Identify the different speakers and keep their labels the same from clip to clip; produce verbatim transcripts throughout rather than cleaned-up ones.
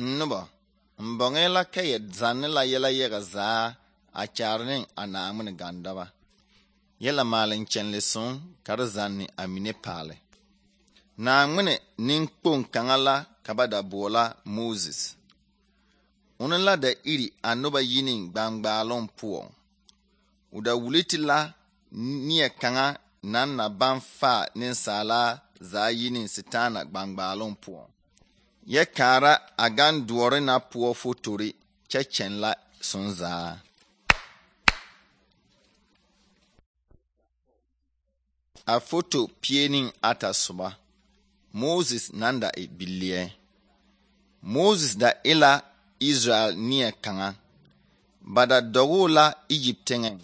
Speaker 1: Noba mbɔŋɛɛ la ka yɛ zanne la yɛlɛ yaga zaa a kyaare ne a Naawmin gandaba. Yɛla maaleŋ kyɛnle soŋ ka d zanne a mine paale. Naawmin nenkpoŋ kaŋa la ka ba da boɔla Moses. Ona la da iri a noba yi ne gbangbaaloŋ poɔ. O da wuliti la neɛ kaŋa naŋ na baŋ faa nensaala zaa yi ne setaana gbangbaaloŋ poɔ. Yɛ kaara a gan doɔre na poɔ fotori kyɛ kyɛn la sonzaa. A foto pie ne ata soba. Moses naŋ da e bileɛ. Moses da e la Israel neɛ kaŋa. Ba da dɔgoo la Egypt teŋɛŋ.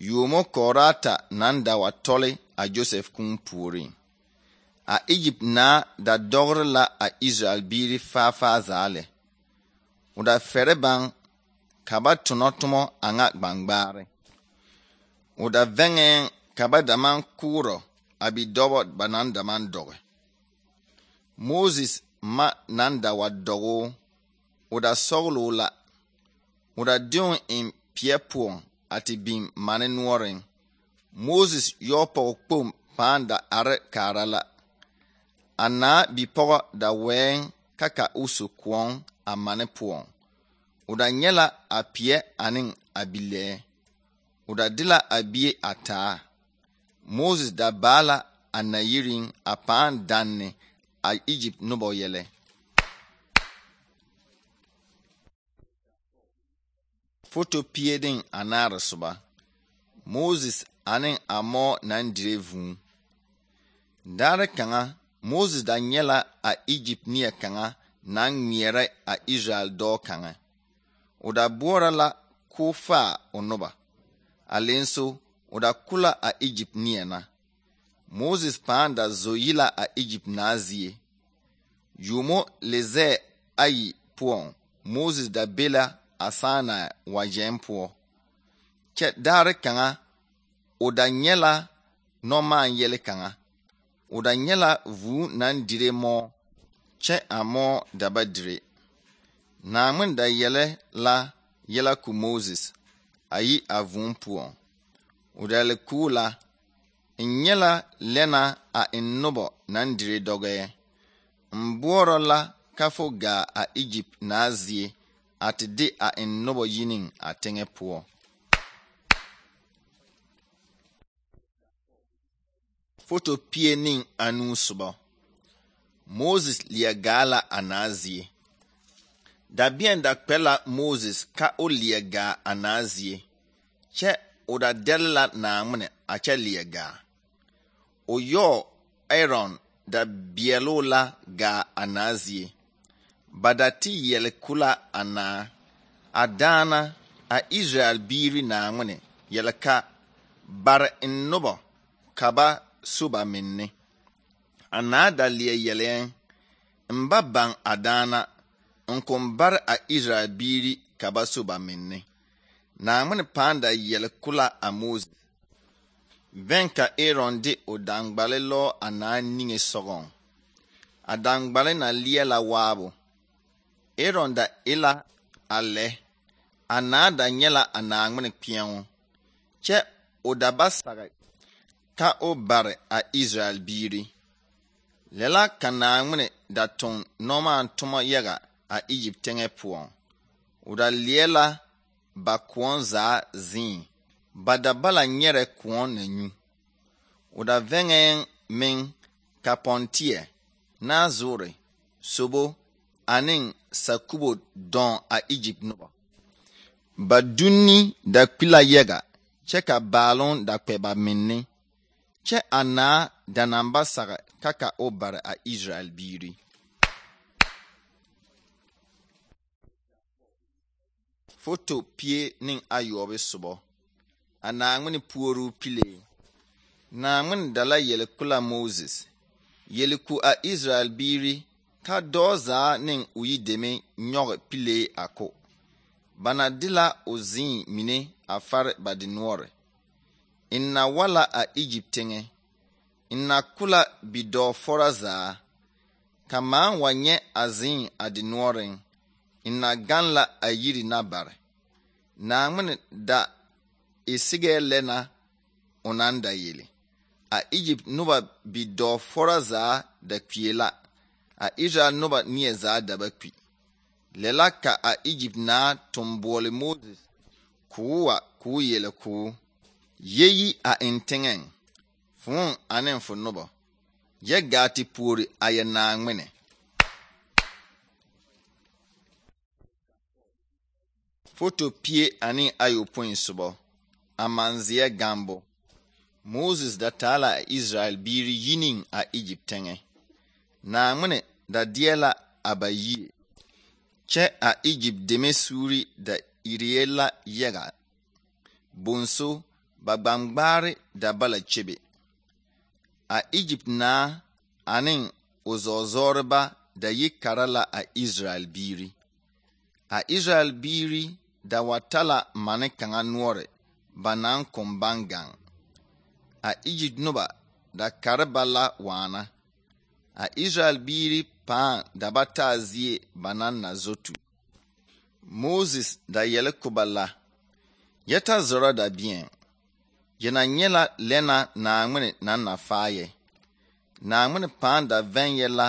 Speaker 1: Yuomo kɔɔraata naŋ da wa tɔle a Joseph kũũ puoriŋ. A Egypt naa da dɔgre la a Israel biiri faafaa zaa lɛ. O da fɛrɛ baŋ ka ba tonɔ tomɔ a ŋa gbangbaare. O da vɛŋɛɛŋ ka ba da maŋ kʋʋrɔ a bidɔbɔ ba naŋ da maŋ dɔge. Moses ma naŋ da wa dɔgoo, o da sɔgloo la. O da deoŋ eŋ peɛ poɔŋ a te biŋ mane noɔreŋ. Moses yɔɔ pɔge kpoŋ pãã da are kaara la. A naa bipɔgɔ da wɛɛŋ ka ka o so koɔŋ a mane poɔŋ. O da nyɛ la a peɛ ane a bilɛɛ. O da de la a bie a taa. Moses da baa la a nayiriŋ a pãã danne a Egypt nobɔ yɛlɛ. Foto pie ne anaare soba. Moses ane a mɔɔ naŋ dire vũũ. Daare kaŋa, Moses da nyɛ la a Egypt neɛ kaŋa naŋ ŋmeɛrɛ a Israel dɔɔ kaŋa. O da boɔrɔ la k'o faa o noba. A lenso, o da ko la a Egypt neɛ na. Moses pãã da zo yi la a Egypt naa zie. Yuomo lezɛɛ ayi poɔŋ, Moses da be la a sããna wagyɛŋ poɔ. Kyɛ daare kaŋa, o da nyɛ la nɔmaan yɛle kaŋa. O da nyɛ la vũũ naŋ dire mɔɔ, kyɛ a mɔɔ da ba dire. Naawmin da yɛlɛ la yɛla ko Moses a yi a vũũ poɔŋ. O da le kuu la, n nyɛ la lɛna a n nobɔ naŋ dire dɔgɛɛ. N boɔrɔ la ka fo gaa a Egypt naa zie a te de a n nobɔ yi ne a teŋɛ poɔ. Foto pie ne anuu soba. Moses leɛ gaa la a naa zie. Dabeɛŋ da kpɛ la Moses ka o leɛ gaa a naa zie, kyɛ o da dɛle la Naawmin a kyɛ leɛ gaa. O yɔɔ Aaron da beɛloo la gaa a naa zie. Ba da te yɛle ko la a naa. A daana a Israel biiri Naawmin yɛle ka bare n nobɔ ka ba so ba menne. A naa da leɛ yɛlɛɛŋ, n ba baŋ a daana, n kõn bare a Israel biiri ka ba so ba menne. Naawmin pãã da yɛle ko la a Moses. Vɛŋ ka Aaron de o daŋgbale lɔɔ a naa niŋe sɔgɔŋ. A daŋgbale na leɛ la waabo. Aaron da e la a lɛ. A naa da nyɛ la a Naawmin kpeɛŋo. Kyɛ o da ba sage ka o bare a Israel biiri. Lɛ la ka Naawmin da toŋ nɔmaan tomɔ yaga a Egypt teŋɛ poɔŋ. O da leɛ la ba koɔŋ zaa zĩĩ. Ba da ba la nyɛrɛ koɔŋ na nyu. O da vɛŋɛɛŋ meŋ ka pɔnteɛ, naazoore, sobo ane sakubo dɔɔ a Egypt nobɔ. Ba dunni da kpi la yaga, kyɛ ka baaloŋ da kpɛ ba menne. Kyɛ a naa da naŋ ba sage ka ka o bare a Israel biiri. Foto pie ne ayɔɔbe sobɔ. A Naawmin puoruu pilee. Naawmin da la yɛle ko la Moses. Yɛle ko a Israel biiri ka dɔɔ zaa ne o yideme nyɔge pilee a ko. Ba na de la o zĩĩ mine a fare ba dinoɔre. N na wa la a Egypt teŋɛ. N na ko la bidɔɔ fɔra zaa. Ka maan wa nyɛ a zĩĩ a dinoɔreŋ. ina gan la a yiri na bare. Naŋmene da e sigɛ lɛ na o naŋ da yele. A Egypt noba bidɔɔ fora zaa da kpie la. A Israel noba neɛ zaa da ba kpi. Lɛ la ka a Egypt naa tun boɔle Moses k'o wa k'o yele k'o yeyi a eŋ teŋɛŋ fõõ ane fo noba yɛ gaa te puori a yɛ Naŋmene. Foto pie ane ayopõi sobɔ a manzeɛ gambo. Moses da taa la a Israel biiri yineŋ a Egypt teŋɛ. Naŋmene da deɛ la a ba yie. Kyɛ a Egypt deme suuri da irie la yaga. Bonso ba gbangbaare da bala kyebe. A Egypt naa ane o zɔɔzɔreba da yi kara la a Israel biiri. A Israel biiri da wa tala mane kaŋa noɔre ba naŋ kom baŋ gaŋ. A Egypt noba da kare ba la waana. A Israel biiri pãã da ba taa zie ba naŋ na zotu. Moses da yɛle ko ba la. Yɛ ta zɔrɔ da biɛŋ. Yɛ na nyɛ la lɛna Naŋmene naŋ na faayɛ. Naŋmene pãã da vɛŋ yɛ la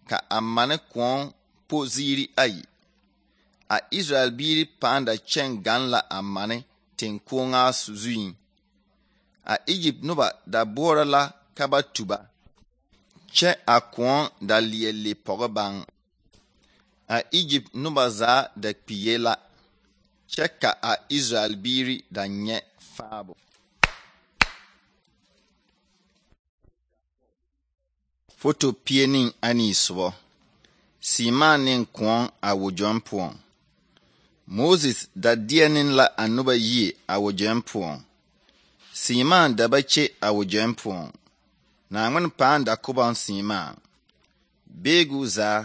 Speaker 1: ka a mane kõɔ po ziiri ayi. A Israel biiri pãã da kyɛŋ gaŋ la a mane teŋkoŋaa zuiŋ. A Egypt noba da boɔrɔ la ka ba tu ba. Kyɛ a kõɔ da leɛ le pɔge baŋ. A Egypt noba zaa da kpiye la. Kyɛ ka a Israel biiri da nyɛ faabo. Foto pie ne anii sobɔ. Seemaa ne kõɔ a wogyɔŋ poɔŋ. Moses da deɛ ne la a noba yie a wogyɔŋ poɔŋ. Seemaa da ba kye a wogyɔŋ poɔŋ. Naŋmene pãã da kobɔŋ seemaa. Beegu zaa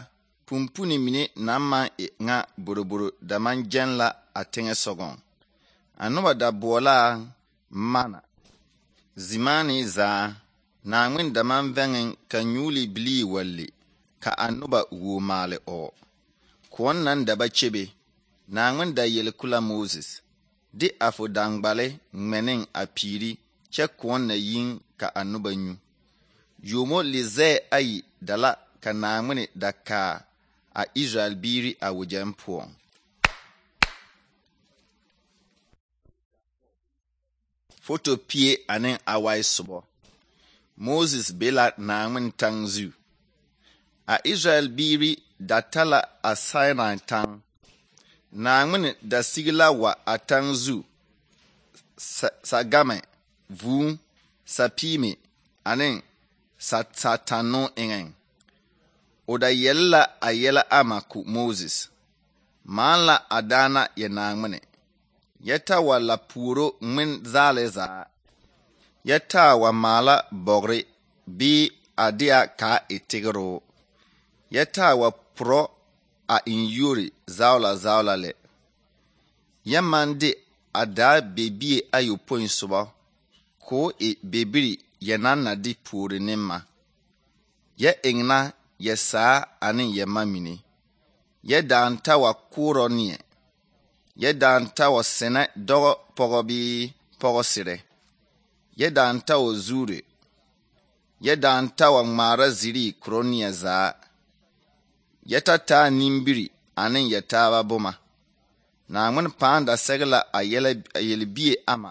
Speaker 1: pumpune mine naŋ maŋ e ŋa boroboro da maŋ gyɛŋ la a teŋɛ sɔgɔŋ. A noba da boɔlaa mana. Zimaane zaa Naŋmene da maŋ vɛŋeŋ ka nyuuli bilii wa le ka a noba wuo maale ɔɔ. Kõɔ naŋ da ba kyebe. Naŋmene da yele kula Moses. De a fo daŋgbale ŋmɛneŋ a piiri kyɛ kõɔ na yiŋ ka a noba nyu. Yomo le zɛɛ ayi da la ka Naŋmene da kaa a Israel biiri a wogyɛŋ poɔŋ. Foto pie ane awai sobɔ. Moses be la Naŋmene taŋ zu. A Israel biiri da tala a Sinai taŋ. Naŋmene da sigi la wa a taŋ zu sagame, vūū, sapiime ane satanno eŋeŋ. O da yɛle la a yɛlɛ ama ko Moses. Maan la a daana yɛ Naŋmene. Yɛ ta wa la puoro ŋmen zaale zaa. Yɛ taa wa maala bɔgre bii a deɛ kaa e tigeroo. Yɛ taa wa porɔ a eŋ yuori zaola zaola lɛ. Yɛ maŋ de a daa bebie ayopõi sobɔ k'o e bebiri yɛ naŋ na de puori ne ma. Yɛ eŋ na yɛ saa ane yɛ ma mine. Yɛ daaŋ ta wa koorɔ neɛ. Yɛ daaŋ ta wa senɛ dɔgɔ pɔgɔ bii pɔgɔ serɛ. Yɛ daaŋ ta wa zuure. Yɛ daaŋ ta wa ŋmaara zirii koro neɛ zaa. Yɛ ta taa nimbiri ane yɛ taaba boma. Naŋmene pãã da sɛge la a yelbie ama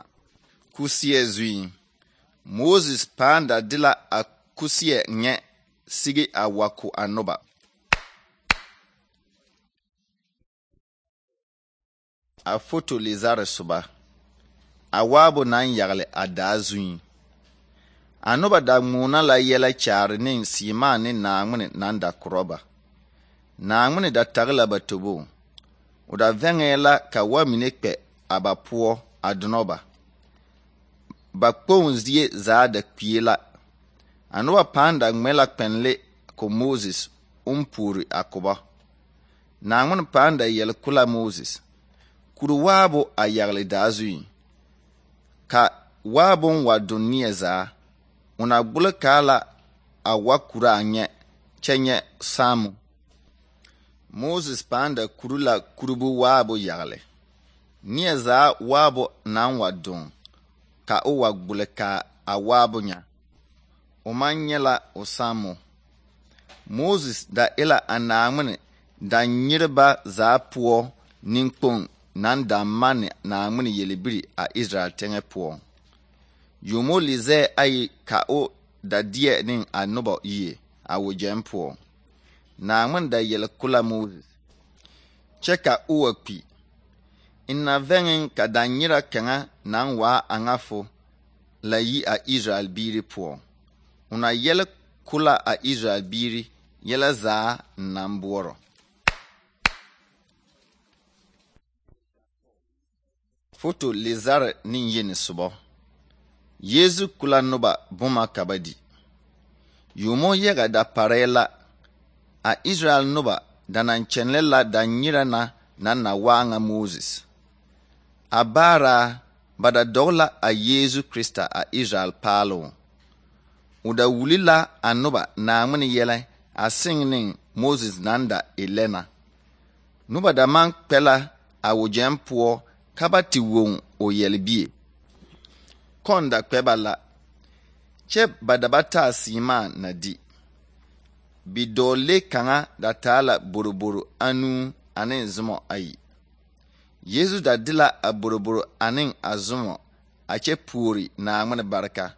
Speaker 1: kuseɛ zuiŋ. Moses pãã da de la a kuseɛ nyɛ sige a wa ko a noba. A foto le zare soba. A waabo naŋ yagle a daa zuiŋ. A noba da ŋmoona la yɛlɛ kyaare ne seemaa ne Naŋmene naŋ da korɔ ba. Naŋmene da tage la ba tobo. O da vɛŋɛɛ la ka wa mine kpɛ a ba poɔ a donɔ ba. Ba kpoŋ zie zaa da kpie la. A noba pãã da ŋmɛ la kpɛnle ko Moses oŋ puori a koba. Naŋmene pãã da yɛle ko la Moses. Kuri waabo a yagle daa zuiŋ. Ka waabon wa don neɛ zaa. O na gbole kaa la a wa kuri a nyɛ kyɛ nyɛ saamu. Moses pãã kuru la kurubu waabo yagle. Neɛ zaa waabo naŋ wa doŋ ka o wa gbule ka a waabo nya. O maŋ nyɛ la o sammo. Moses da e la a Naawmin da nyereba zaa poɔ ninkpoŋ naŋ da manne Naawmin yelbiri a Israel teŋɛ poɔ. Yomo li zɛɛ ayi ka o da deɛ ne a noba yie a wogyɛm poɔ. Naawmin da yɛl kula Moses kyɛ ka o wa kpi. Ina vɛŋeŋ ka da nyera kaŋa naŋ waa a ŋa fo la yi a Israel biiri poɔ. Una yɛl kula a Israel biiri yɛlɛ zaa naŋ boɔrɔ. Foto Lezare ne yeni sobɔ. Yezu kula noba boma ka ba di. Yomo yɛga da parɛɛ la. A Israel noba da naŋ kyɛnlɛ la da nyera na naŋ na waa ŋa Moses. A baara ba da dɔg la a Yezu Krista a Israel paaloŋ. O da wuli la a noba Naawmin yɛlɛ a seŋ ne Moses naŋ da e lɛna. Noba da maŋ kpɛ la a wogyɛm poɔ ka ba te woŋ o yɛlbie. Kɔn da kpɛ ba la. Kyɛ ba da ba taa seemaa na di. Bidɔɔle kaŋa da taa la boroboro anuu ane zomɔ ayi. Yezu da de la a boroboro ane a zomɔ a kyɛ puori Naawmin barka.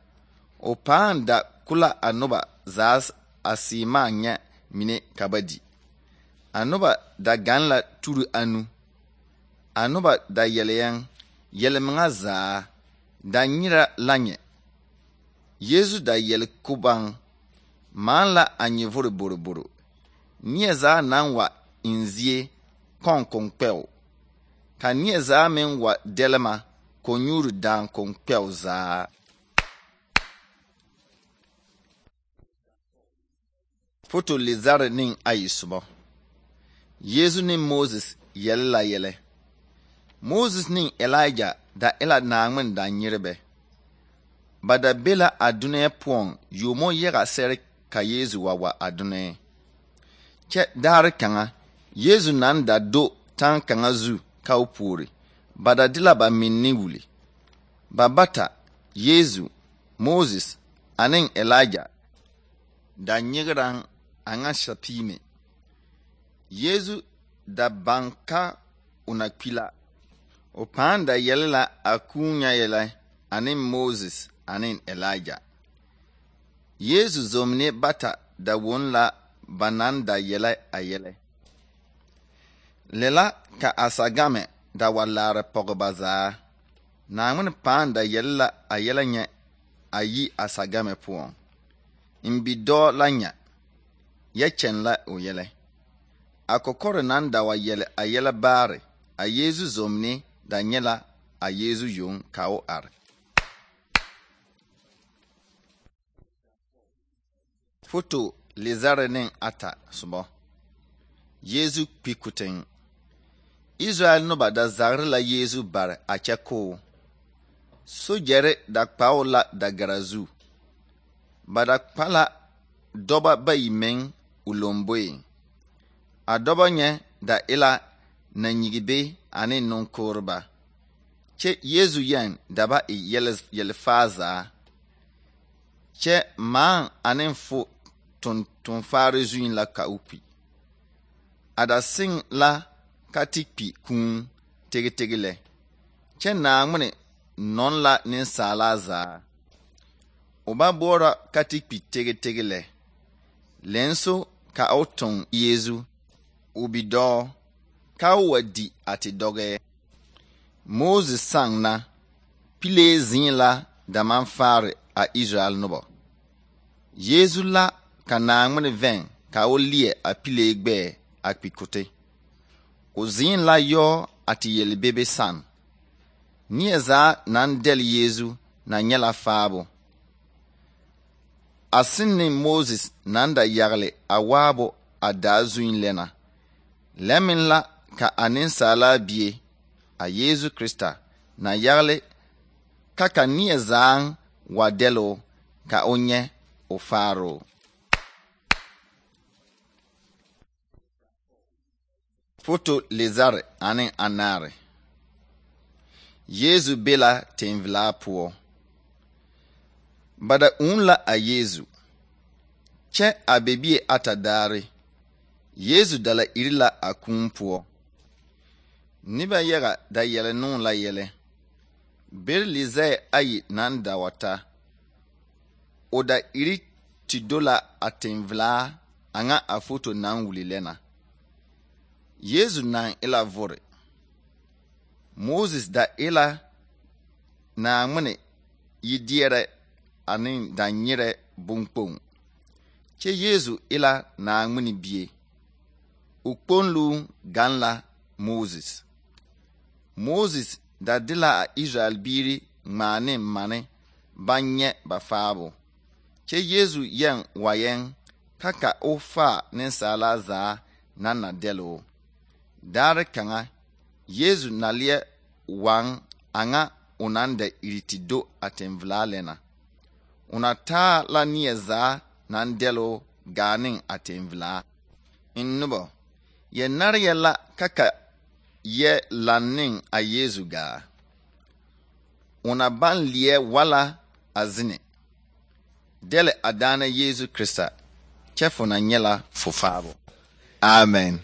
Speaker 1: O pãã da kula a noba zaa a seemaa nyɛ mine ka ba di. A noba da gaŋ la turu anu. A noba da yɛlɛɛŋ yɛlmeŋa zaa da nyera la nyɛ. Yezu da yɛl kubaŋ maan la a nyɛvore boroboro. Neɛ zaa naŋ wa in zie kɔŋ koŋkpɛo. Ka neɛ zaa meŋ wa dɛlema ko nyuuri daaŋ koŋkpɛo zaa. Foto Lezare ne ayi sobɔ. Yezu ne Moses yɛl la yɛlɛ. Moses ne Elijah da e la Naawmin da nyerebɛ. Ba da be la a dunɛɛ poɔŋ yomo yɛga sɛre ka Yezu wa wa a dunɛɛ. Kyɛ daare kaŋa Yezu naŋ da do taŋ kaŋa zu ka o puori. Ba da de la ba minne wuli. Ba bata Yezu, Moses ane Elijah da nyegeraŋ a ŋa sapiime. Yezu da baŋ ka o na kpi la. O pãã da yɛl la a kũũ nya yɛlɛ ane Moses ane Elijah. Yezu zomne bata da won la ba naŋ da yɛlɛ a yɛlɛ. Lɛ la ka a sagame da wa laare pɔge ba zaa. Naawmin pãã da yɛl la a yɛlɛ nyɛ a yi a sagame poɔŋ. In bidɔɔ la nya, yɛ kyɛn la o yɛlɛ. A kɔkɔre naŋ da wa yɛlɛ a yɛlɛ baare, a Yezu zomne da nyɛ la a Yezu yoŋ ka o are. Foto Lezare ne ata sobɔ. Yezu kpi kuteŋ. Israel noba da zagre la Yezu bare a kyɛ koo. Sogyɛre da kpao la da gara zu. Ba da kpa la dɔba bayi meŋ o lomboeŋ. A dɔba nyɛ da e la nanyigibe ane nunkooreba. Kyɛ Yezu yɛn da ba e yɛlfaa zaa. Kyɛ maaŋ ane fo tontonfaare zuin la ka o kpi. A da seŋ la ka te kpi kũũ tegetege lɛ. Kyɛ Naawmin nɔn la nensaalaa zaa. O ba boɔrɔ ka te kpi tegetege lɛ. Lɛnso ka o toŋ Yezu, o bidɔɔ, ka o wa di a te dɔgɛɛ. Moses saŋ na, pilee zĩĩ la da maŋ faare a Israel noba. Yezu la ka Naawmin vɛŋ ka o leɛ a pilee gbɛɛ a kpi kote. O zĩĩ la yɔɔ a te yelbebe san. Neɛ zaa naŋ dɛl Yezu na nyɛ la faabo. A seŋ ne Moses naŋ da yagle a waabo a daa zuin lɛna. Lɛ meŋ la ka a nensaalaa bie, a Yezu Krista, na yagle ka ka neɛ zaaŋ wa dɛloo ka o nyɛ o faaroo. Foto Lezare ane Anaare. Yesu be la tenvelaa poɔ. Ba da uu la a Yesu. Kyɛ a be bie ata daare. Yesu da la iri la a kūū poɔ. Noba yaga da yɛlɛ noo la yɛlɛ. Bere lezɛɛ ayi naŋ da wa ta. O da iri te do la a tenvelaa aŋa a foto naŋ wuli lɛ na. Yesu naŋ e la vore. Moses da e la Naamene yideɛrɛ ane danyerɛ bonkpoŋ. Kyɛ Yesu e la Naamene bie. O kponlu gaŋ la Moses. Moses da de la a Israel biiri ŋmaa ne mane baŋ nyɛ ba faabo. Kyɛ Yesu yɛŋ wa yɛŋ ka ka o faa nensaalaa zaa naŋ na dɛloo. Daare kaŋa, Yesu na leɛ waŋ aŋa o naŋ da iri te do a tenvelaa lɛ na. O na taa la neɛ zaa naŋ dɛloo gaa ne a tenvelaa. In noba, yɛ nare yɛ la ka ka yɛ lanne a Yesu gaa. O na baŋ leɛ wala a zene. Dɛlɛ a daana Yesu Krista, kyɛ fo na nyɛ la fo faabo. Amen.